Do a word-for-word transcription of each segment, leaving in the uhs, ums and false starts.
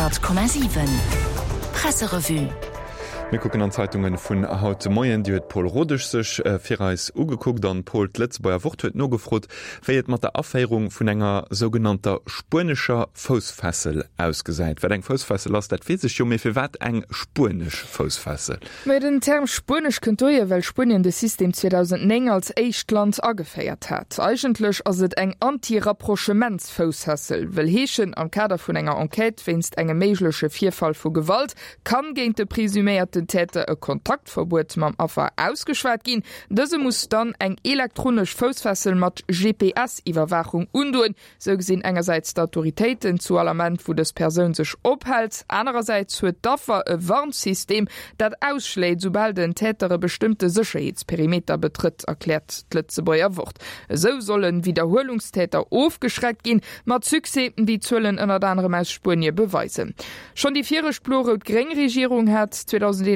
Honnert Komma siwen Presserevue. Mir kucken an d'Zeitungen vun haut de Moien. Déi huet d'Paule Rodesch sech fir eis ugekuckt. An Paul, d'Lëtzebuerger Wort huet nogefrot, wéi et mat der Aféierung vun enger sougenannter spuenescher Foussfessel ausgesäit. Wat eng Foussfessel ass, dat weess ech jo, mee firwat eng spuenesch Foussfessel? Mä den Term spuenesch kënnt dohier, well Spuenien de System zweedausendnéng als éischt Land ageféiert hat. Eigentlech ass et eng Anti-Rapprochementsfoussfessel, wëll heeschen, am Kader vun enger Enquête wéinst engem méigleche Virfall vu Gewalt kann géint de presuméierten Täter e Kontaktverbuet mam Affer ausgeschwat ginn. Dëse muss dann eng elektronesch Foussfessel mat G P S-Iwwerwaachung undoen. Sou gesinn engersäits d'Autoritéiten zu all Ament, wou dës Persoun sech ophält. Anerersäits huet d'Affer e Warnsystem, dat ausschléit, soubal den Täter e bestëmmte Sécherheetsperimeter betrëtt, erkläert d'Lëtzebuerger Wort. Esou solle Widderhuelungstäter ofgeschreckt ginn, mat Succès, wéi d'Zuelen ënnert anerem aus Spuenie beweisen. Schonn déi viregt blo-rout-gréng Regierung hat zweedausendeenanzwanzeg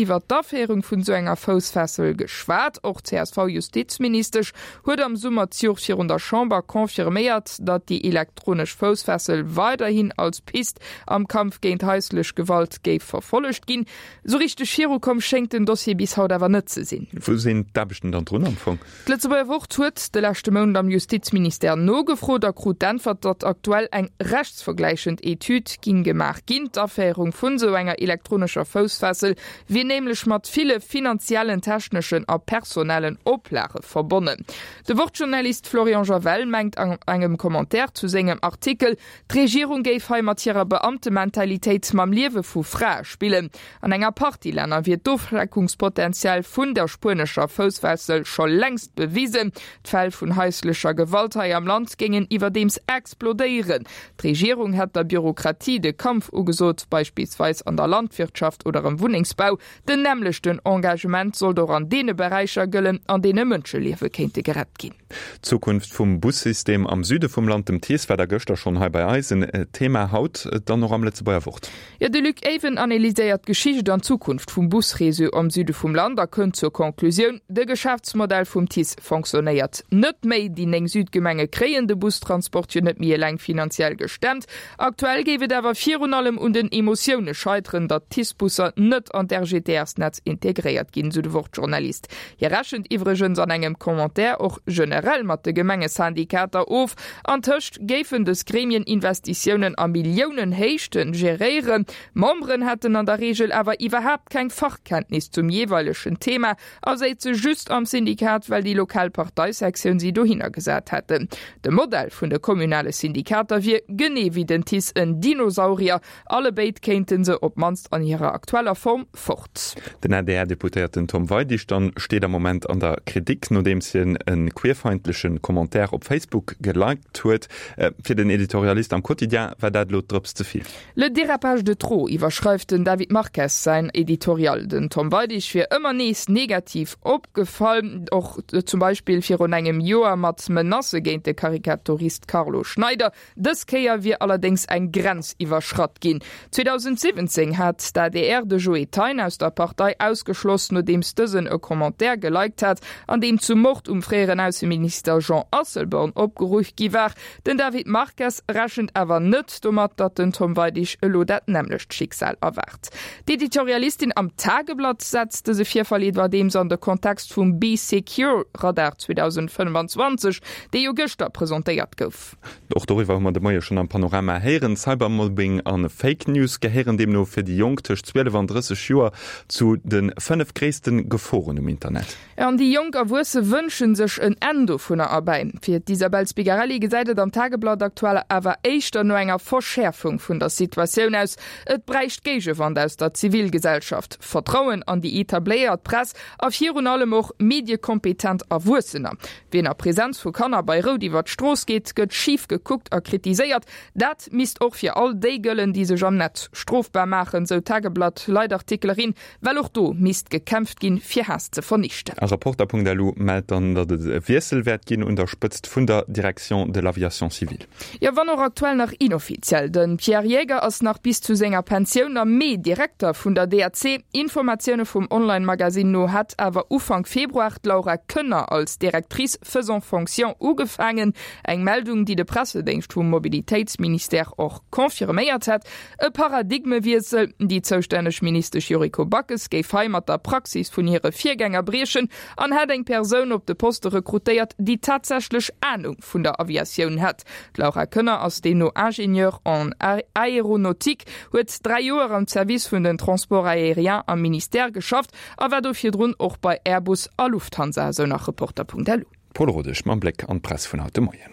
iwwer d'Aféierung vun esou enger Foussfessel geschwat. Och d'C S V-Justizministesch huet am Summer d'Joer virun der Chamber confirméiert, datt déi elektronesch Foussfessel weiderhin als Pist am Kampf géint haislech Gewalt géif verfollegt ginn. Sou richteg virukomm schéngt den Dossier bis haut awer net ze sinn. Wou sinn d'Aarbechten dann drun am Fong? D'Lëtzebuerger Wort huet de leschte Mount am Justizministère nogefrot a krut d'Äntwert, datt aktuell eng rechtsvergläichend Etüd ging gemaach ginn. D'Aféierung vun esou enger elektronescher Foussfessel wier nämlech mat ville finanziellen, techneschen a personellen Oplage verbonnen. De Wort-Journalist Florian Javel mengt an engem Commentaire zu sengem Artikel, d'Regierung géif hei mat hirer Beamtementalitéit mam Liewe vu Frae spillen. An enger Partie Länner wier d'Ofschreckungspotenzial vun der spuenescher Foussfessel scho längst bewisen. D'Fäll vun haislecher Gewalt hei am Land géingen iwwerdeems explodéieren. D'Regierung hätt der Bürokratie de Kampf ugesot, beispillsweis an der Landwirtschaft oder am Wunnengsbau. Den nämmlechten Engagement sollt och an deene Beräicher gëllen, an deene Mënscheliewe kéinte gerett ginn. D'Zukunft vum Bussystem am Süde vum Land, dem TICE, war da gëschter schonn hei bei eis en Thema, haut dann och am Lëtzebuerger Wort. Jo, de Luc Ewen analyséiert d'Geschicht an d'Zukunft vum Busreseau am Süde vum Land a kënnt zur Konklusioun, De Geschäftsmodell vum TICE fonctionnéiert net méi. Déi néng Südgemenge kréien de Bustransport jo net méi eleng finanziell gestemmt. Aktuell géif et awer virun allem un den Emotioune scheiteren, datt d'TICE-Busser net an d'R G T S-Netz integréiert ginn, sou de Wort-Journalist. Hie rechent iwwregens an engem Commentaire och generell mat de Gemengesyndikater of. Antëscht géifen dës Gremien Investitiounen a Milliounenhéichten geréieren. Memberen hätten an der Reegel awer iwwerhaapt keng Fachkenntnis zum jeeweilegen Thema a séize just am Syndikat, well déi lokal Parteisektioun si dohinner gesat hätten. De Modell vun de kommunale Syndikater wier genee wéi den TICE en Dinosaurier, allebéid kéinte se op d'mannst an hirer aktueller Form fort. Den A D R-Deputéierten Tom Weidig dann steet am Moment an der Kritik, nodeems hien e queerfeindleche Commentaire op Facebook geliked huet. Fir den Editorialist am Quotidien war dat elo d'Drëps ze vill. Le dérapage de trop, iwwerschreift den David Marques säin Editorial. Den Tom Weidig wier ëmmer nees negativ opgefall, och zum Beispill virun engem Joer mat Menacë géint de Karikaturist Carlo Schneider. Dës Kéier wier allerdéngs eng Grenz iwwerschratt ginn. zweedausendsiwwenzéng hat d'A D R de Joe Thein aus der Partei ausgeschloss, nodeems dësen e Commentaire geliked hat, an deem zum Mord um fréieren Ausseminister Jean Asselborn opgeruff gi war. Den David Marques rechent awer net domat, datt den Tom Weidig elo dat nämmlecht Schicksal erwaart. D'Editorialistin am Tageblatt setzt dëse Virfall iwwerdeems an de Kontext vum Bee Secure Radar zweedausendfënnfanzwanzeg, dee jo gëschter presentéiert gouf. Och doriwwer hu mer de Moie schonn am Panorama héieren. Cybermobbing an Fake News gehéieren deemno fir déi Jonk tëscht zwielef an drësseg Joer zu de fënnef gréisste Geforen um Internet. An déi jonk Erwuesse wënsche sech en Enn dovunner erbäi. Fir d'Isabel Spigarelli gesäit et am Tageblatt aktuell awer éischter no enger Verschäerfung vun der Situatioun aus. Et bräicht Géigewand aus der Zivilgesellschaft, Vertrauen an déi etabléiert Press a virun allem och mediekompetent Erwuessener. Wien a Presenz vu Kanner bei Rout iwwer d'Strooss geet, gëtt schif gekuckt a kritiséiert. Dat misst och fir all déi gëllen, déi sech am Netz strofbar maachen, sou d'Tageblatt Leitartikel erin, well och do misst gekämpft ginn, fir Haass ze vernichten. A Reporter.lu mellt dann, datt et e Wiessel wäert ginn un der Spëtzt vun der Direction de l'aviation civile. Jo, wann och aktuell nach inoffiziell. De Pierre Jäger ass nach bis zu senger Pensioun am Mee Direkter vun der D A C. Informatioune vum Online-Magasinn no hätt awer Ufank Februar d'Laura Koenner als Directrice faisant fonction ugefaangen. Eng Meldung, déi de Pressedéngscht vum Mobilitéitsministère och confirméiert hätt. E Paradigmewiessel, déi zoustänneg Ministesch Yuriko Backes géif hei mat der Praxis vun hire Virgänger briechen an hätt eng Persoun op de Poste rekrutéiert, déi tatsächlech Anung vun der Aviatioun hätt. D'Laura Koenner ass deemno Ingénieure en aéronautique, huet dräi Joer am Service vun den Transports aériens am Ministère geschafft a war do virdrun och bei Airbus a Lufthansa, esou nach Reporter.lu. Paul Rodesch mam Bléck an d'Press vun haut de Moien.